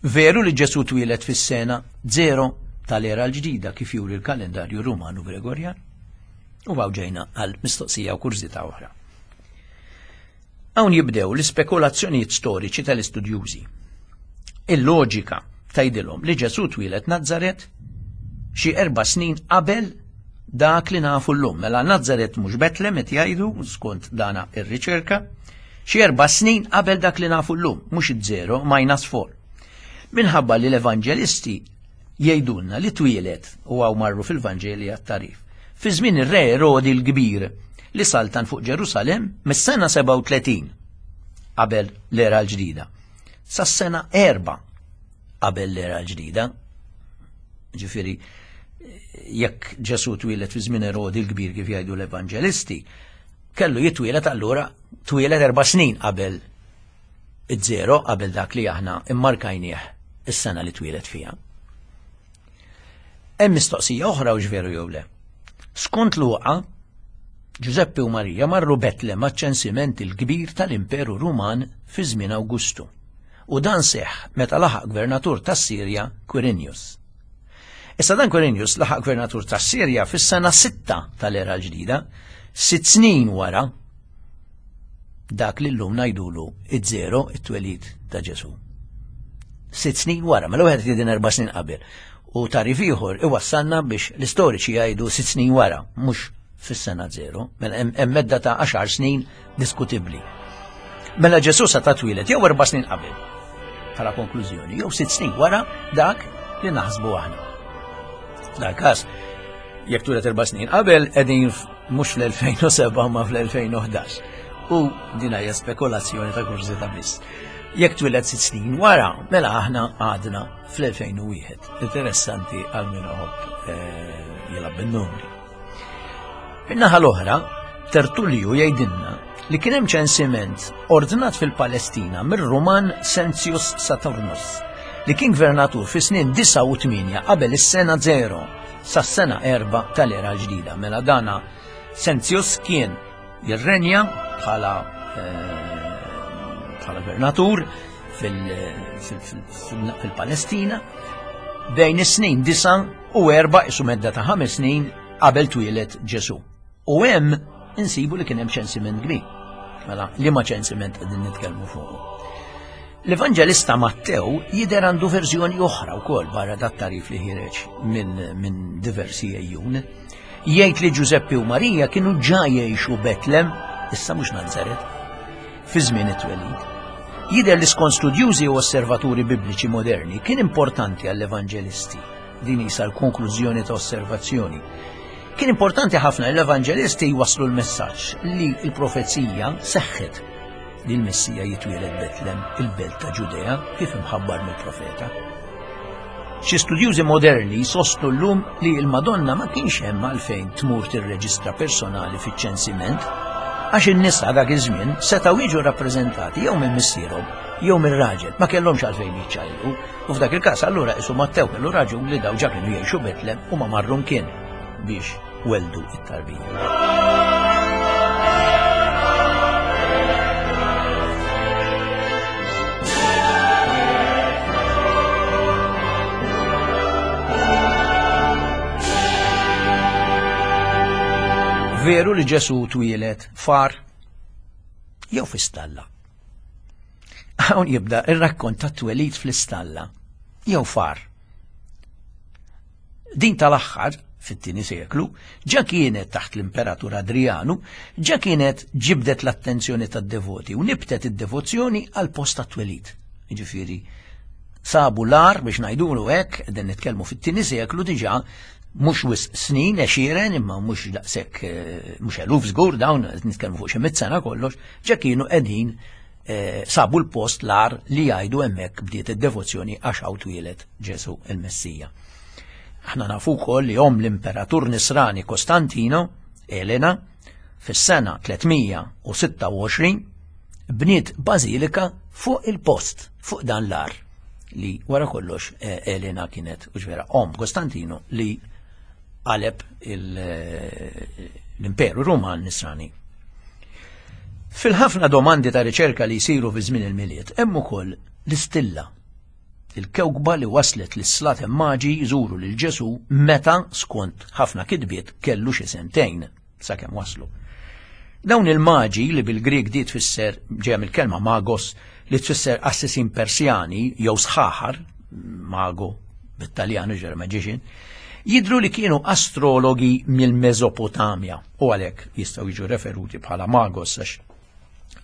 Veru li Ġesù twieled fis-sena zero tal-era l-ġdida kif juri l-kalendarju Rumanu Gregorjan? U għaw ġejna għal mistoqsija u kurżità oħra. Hawn jibdew l-ispekulazzjonijiet storiċi tal-istudjużi. Il-loġika tgħidilhom li Ġesù twieled Nazzaret xi erba' snin qabel dak li nafu llum. Mela Nazzaret mhux Betlem qed jgħidu skont dana ir-riċerka, xi erba' snin qabel dak li nafu llum, mhux iż-zero minus four. Minħabba li l-evanġelisti jgħidulna li twieled u hawn marru fil-Vanġeli għat-tagħrif. Fi żmien ir-re Erodi l-Kbir li saltan fuq Ġerusalemm mis-sena 37 qabel l-era l-ġdida sas-sena 4 qabel l-era l-ġdida. Ġifieri jekk Ġesù twieled fi żmien Erodi l-Kbir kif jgħidu l-Evanġelisti, kellu jitwieled allura twieled erba' snin qabel iż-żero qabel dak li aħna immarkajnieh is-sena li twieled fiha. Hemm mistoqsija oħra u veru jew le. Skont Luqa, Ġużeppi u Marija marru Betlem għaċ-ċensiment il-kbir tal-Imperu Ruman fi żmien Awgustu. U dan seħħ meta laħaq gvernatur tas-Sirja Quirinius. Issa dan Quirinius laħaq gvernatur tas-Sirja fis-sena sitta tal-era l-ġdida, sitt snin wara dak li llum ngħidulu iż-żero it-twelid ta' Ġesù. Sitt snin wara, mela wieħed jgħidin erba' snin qabel. U tarif ieħor iwassalna biex l-istoriċi jgħidu sitt snin wara, mhux fis-sena zero, mela hemm medda ta' għaxar snin diskutibbli. Mela Ġesù sa ta' twieled jew erba' snin qabel. bħala konklużjoni, jew sitt snin wara dak li naħsbu aħna. F'dal każ, jekk twieled erba' snin qabel qegħdin mhux fl-2007 ma fl-2011. U din hija spekulazzjoni ta' kurżità biss. Jekk twieled sitt snin wara, mela aħna għadna fl-2001. Interessanti għal min iħobb eh, jilgħab bin-numri. Min-naħa l-oħra, Tertullju jgħidilna li kien hemm ċensiment ordnat fil-Palestina mir-Ruman Sentius Saturnus li kien gvernatur fi snin 98 qabel is-sena 0 sas-sena 4 tal-era l-ġdida. Mela dana Sentius kien jirrenja bħala eh, bħala gvernatur fil-Palestina bejn is-snin 9 u 4 isu medda ta' ħames snin qabel twieled Ġesu. U hemm insibu li kien hemm ċensiment kbir. Mela, li ma ċensiment qegħdin nitkellmu fuq. L-Evanġelista Mattew jidher għandu verżjoni oħra wkoll barra dat tarif li ħireġ minn min diversi ejjun. Jgħid li Ġużeppi u Marija kienu ġa jgħixu Betlem, issa mhux Nazaret, fi żmien it-twelid. Jidher li skont studjużi u osservaturi bibliċi moderni kien importanti għall-evanġelisti. Din isa l-konklużjoni ta' osservazzjoni. Kien importanti ħafna l-evanġelisti jwasslu l-messaġġ li l-profezija seħħet li l-Messija jitwieled Betlem, il-belt ta' Ġudea, kif imħabbar mill-profeta. Xi studjużi moderni jsostnu llum li l-Madonna ma kienx hemm għalfejn tmur tirreġistra personali fiċ-ċensiment għax in-nisa dak iż-żmien setgħu jiġu rappreżentati jew minn missierhom jew minn raġel, ma kellhomx għalfejn jiċċajlu. U f'dak il-każ allura isu Mattew kellu raġun li daw ġa kienu jgħixu Betlem u ma marru mkien biex weldu it-tarbija. Veru li Ġesu twieled far jew fi stalla. Hawn jibda ir-rakkont ta' twelid fl-istalla jew far. Din tal-aħħar, fit-tieni seklu, ġa kienet taħt l-Imperatur Adrijanu, ġa kienet ġibdet l-attenzjoni tad-devoti u nibtet id-devozzjoni għal post tat-twelid. Jiġifieri, sabu l-għar biex ngħidulu hekk, qegħdin nitkellmu fit-tieni seklu diġà mhux wisq snin, għexieren, imma mhux daqshekk eh, mhux eluf żgur dawn qed nitkellmu fuq xi mitt sena kollox, ġa kienu qegħdin eh, sabu l-post l-għar li jgħidu hemmhekk bdiet id-devozzjoni għax hawn twieled Ġesù il-Messija. Aħna nafu wkoll li omm l-Imperatur Nisrani Kostantino, Elena, fis-sena 326 bniet bażilika fuq il-post, fuq dan l-ar li wara kollox eh, Elena kienet u ġvera omm Kostantino li qaleb eh, l-Imperu Ruman Nisrani. Fil-ħafna domandi ta' riċerka li jsiru fi żmien il-Milied hemm ukoll l-istilla il-kewkba li waslet lis-slaten maġi jżuru lil Ġesù meta, skont ħafna kitbiet, kellu xi sentejn sakemm waslu. Dawn il-maġi li bil-Grieg di tfisser ġejja mill-kelma magos li tfisser qassisin Persjani jew sħaħar, mago bit-Taljan ġer magician, jidhru li kienu astrologi mill-Mesopotamja u għalhekk jistgħu jiġu referuti bħala magos għax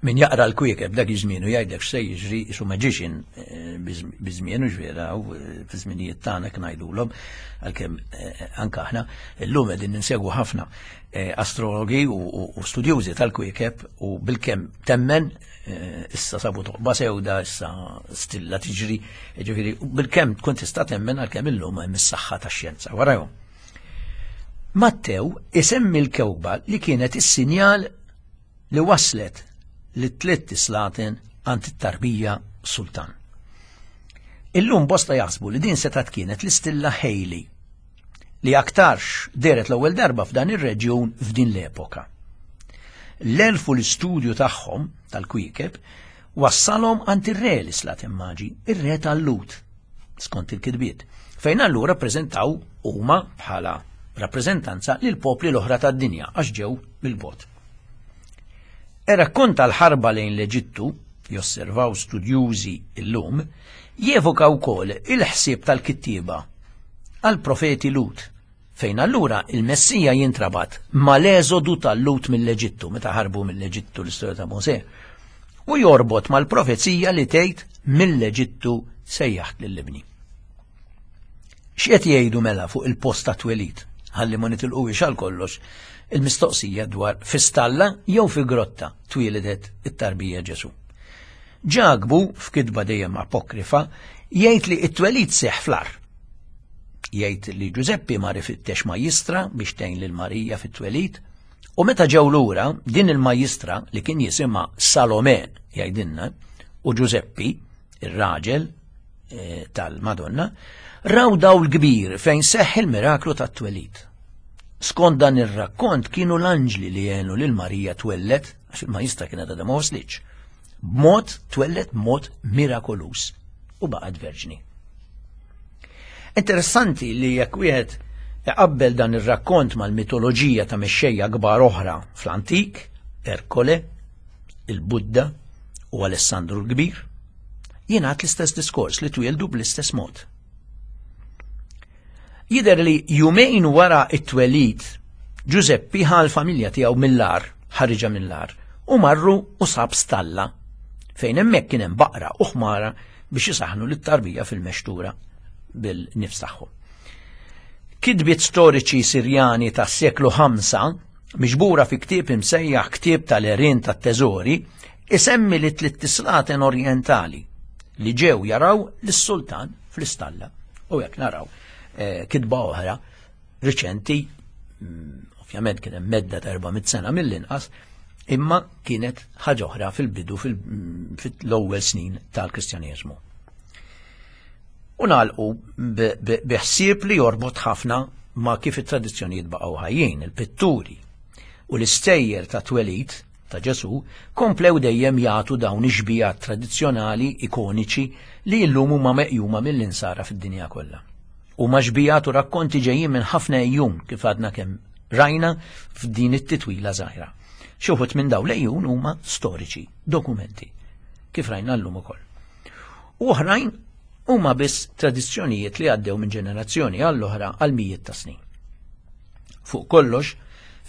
min jaqra l-kwiekeb dak iż-żmien u jgħidlek x'se jiġri isu magician eh, biż-żmien u ġvera u eh, fi żminijiet tagħna kien ngħidulhom għalkemm eh, anke aħna llum qegħdin ninsegwu ħafna astrologi u studjużi tal-kwiekeb u bilkemm temmen issa sabu toqba sewda issa stilla tiġri ġifieri bilkemm tkun tista' temmen għalkemm illum hemm is-saħħa tax-xjenza warahom. Mattew isemmi l-kewba li kienet is-sinjal li waslet lit-tlitt islaten għand it-tarbija sultan. Illum bosta jaħsbu li din setgħet kienet l-istilla Halley li aktarx dehret l-ewwel darba f'dan ir-reġjun f'din l-epoka. L-elf u l-istudju tagħhom tal-kwiekeb wassalhom għand ir-re l-islaten maġi, ir-re tal-Lut, skont il-kitbiet, fejn allura ppreżentaw huma bħala rappreżentanza lil popli l-oħra tad-dinja għax ġew mill-bogħod. Ir-rakkont tal-ħarba lejn l-Eġittu, josservaw studjużi illum, jevoka wkoll il-ħsieb tal-kittieba għall-profeti Lut, fejn allura il-Messija jintrabat mal-eżodu tal-Lut mill-Eġittu, meta ħarbu mill-Eġittu l-istorja ta' Mosè, u jorbot mal-profezija li tgħid Mill-Eġittu sejjaħt lil ibni. X'qed jgħidu mela fuq il-post ta' twelid? Ħalli ma nitilquhiex għal kollox il-mistoqsija dwar fi stalla jew fi grotta twielidet it-tarbija Ġesù. Ġakbu, f'kitba dejjem apokrifa, jgħid li t-twelid seħħ fl-għar. Jgħid li Ġużeppi mar ifittex majjistra biex tgħin lil Marija fit-twelid, u meta ġew lura din il-majjistra li kien jisimha Salome jgħidilna u Ġużeppi, ir-raġel eh, tal-Madonna, raw dawl kbir fejn seħħ il-miraklu tat-twelid. Skont dan ir-rakkont kienu l-anġli li għenu lil Marija twellet, għax il-majjistra kienet għadha ma waslitx. B'mod twellet b'mod mirakoluż u baqgħet verġni. Interessanti li jekk wieħed iqabbel dan ir-rakkont mal-mitoloġija ta' mexxejja kbar oħra fl-antik, Erkole, il-Budda u Alessandru l-Kbir, jingħad l-istess diskors li twieldu bl-istess mod. Jidher li jumejn wara t-twelid, Ġużeppi ħa l-familja tiegħu mill-għar, ħariġha mill-għar, u marru u sab stalla, fejn hemmhekk kien hemm baqra u ħmara biex isaħħnu lit-tarbija fil-mextura bil-nifs tagħhom. Kitbiet storiċi Sirjani tas-seklu 5, miġbura fi ktieb imsejjaħ Ktieb tal-Għerien tat-Teżori, isemmi li tlitt islaten orjentali li ġew jaraw lis-sultan fl-istalla. U hekk naraw eh, kitba oħra riċenti, mm, ovvjament kien hemm medda ta' 400 sena mill-inqas, imma kienet ħaġa oħra fil-bidu mm, fil-ewwel snin tal-Kristjaneżmu. U nagħlqu bi ħsieb li jorbot ħafna ma' kif it-tradizzjonijiet baqgħu ħajjin, il-pitturi u l-istejjer ta' twelid ta' Ġesù komplew dejjem jagħtu dawn ix-xbihat tradizzjonali ikoniċi li llum huma meqjuma mill-Insara fid-dinja kollha. Huma xbihat u rakkonti ġejjin minn ħafna għejjun kif għadna kemm rajna f'din it-titwila żgħira. Xi wħud minn dawn l-għejjun huma storiċi, dokumenti, kif rajna llum ukoll. U oħrajn huma biss tradizzjonijiet li għaddew minn ġenerazzjoni għall-oħra għal mijiet ta' snin. Fuq kollox,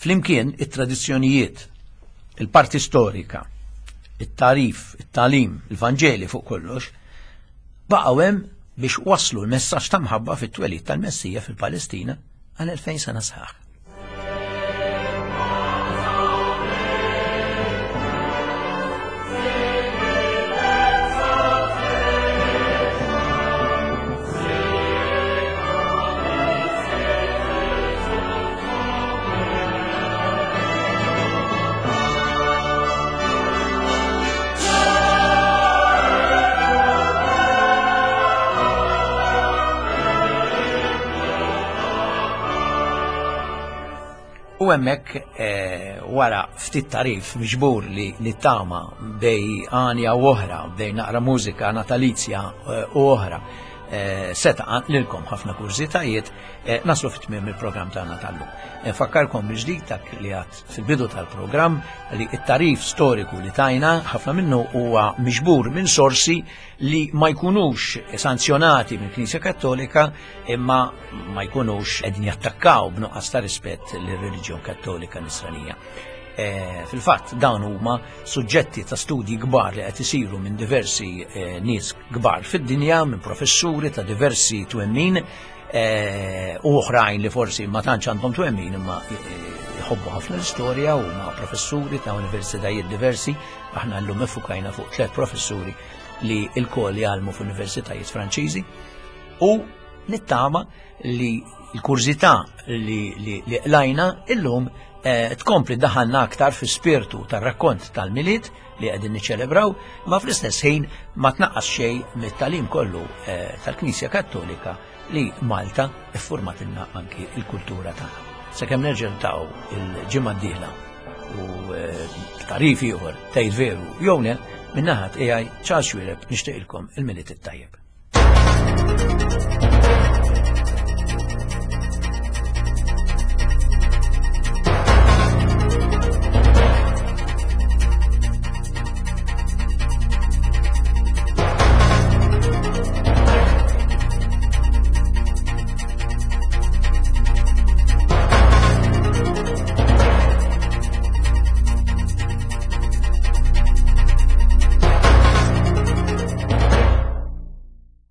flimkien it-tradizzjonijiet, il-parti storika, it-tarif, it-talim, il-Vanġeli fuq kollox, baqgħu hemm biex waslu l-messaġġ ta' mħabba fit-twelid tal-Messija fil-Palestina għal 2000 sena sħaħ. U hemmhekk eh, wara ftit tarif miġbur li nittama bej għanja u oħra, bej naqra mużika natalizja eh, u oħra, eh, seta' lilkom ħafna kurżitajiet, naslu fit-tmiem il-programm tagħna tal-lum. Nfakkarkom mill-ġdid dak li għad fil-bidu tal-programm li t-tarif storiku li tajna ħafna minnu huwa miġbur minn sorsi li ma jkunux sanzjonati mill Knisja Kattolika imma ma jkunux qegħdin jattakkaw b'nuqqas ta' rispett lir-reliġjon Kattolika Nisranija. E, Fil-fatt dawn huma suġġetti ta' studji kbar li qed isiru minn diversi e, nies kbar fid-dinja, minn professuri ta' diversi twemmin e, u oħrajn li forsi ma tantx għandhom twemmin imma jħobbu ħafna l-istorja u ma' professuri ta' universitajiet diversi, aħna llum effukajna fuq tliet professuri li l-kol jgħallmu f'universitajiet Franċiżi u nittama li l-kurżità li, li, li qlajna illum eh, tkompli daħalna aktar fi spirtu tar-rakkont tal-Milied li qegħdin niċċelebraw, ma fl-istess ħin ma tnaqqas xejn mit-talim kollu eh, tal-Knisja Kattolika li Malta iffurmatilna anki il-kultura tagħna. Sakemm nerġa' niltaqgħu il-ġimgħa d-dieħla u eh, tarif ieħor tgħid veru jew le, min-naħa tiegħi Charles Xuereb nixtieqilkom il-Milied it-tajjeb.